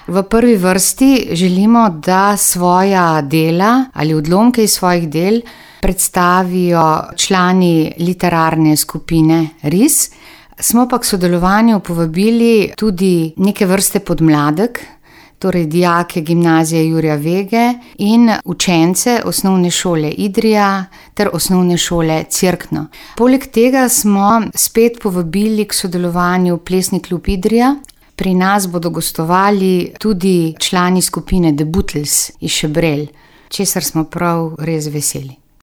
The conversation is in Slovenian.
V prvi vrsti želimo, da svoja dela ali odlomke iz svojih del predstavijo člani literarne skupine RIS. Smo pa k sodelovanju povabili tudi neke vrste podmladek, torej dijake gimnazije Jurija Vege in učence osnovne šole Idrija ter osnovne šole Cerkno. Poleg tega smo spet povabili k sodelovanju Plesni klub Idrija. Pri nas bodo gostovali tudi člani skupine The Butlers iz Šebrelj, česar smo prav res veseli.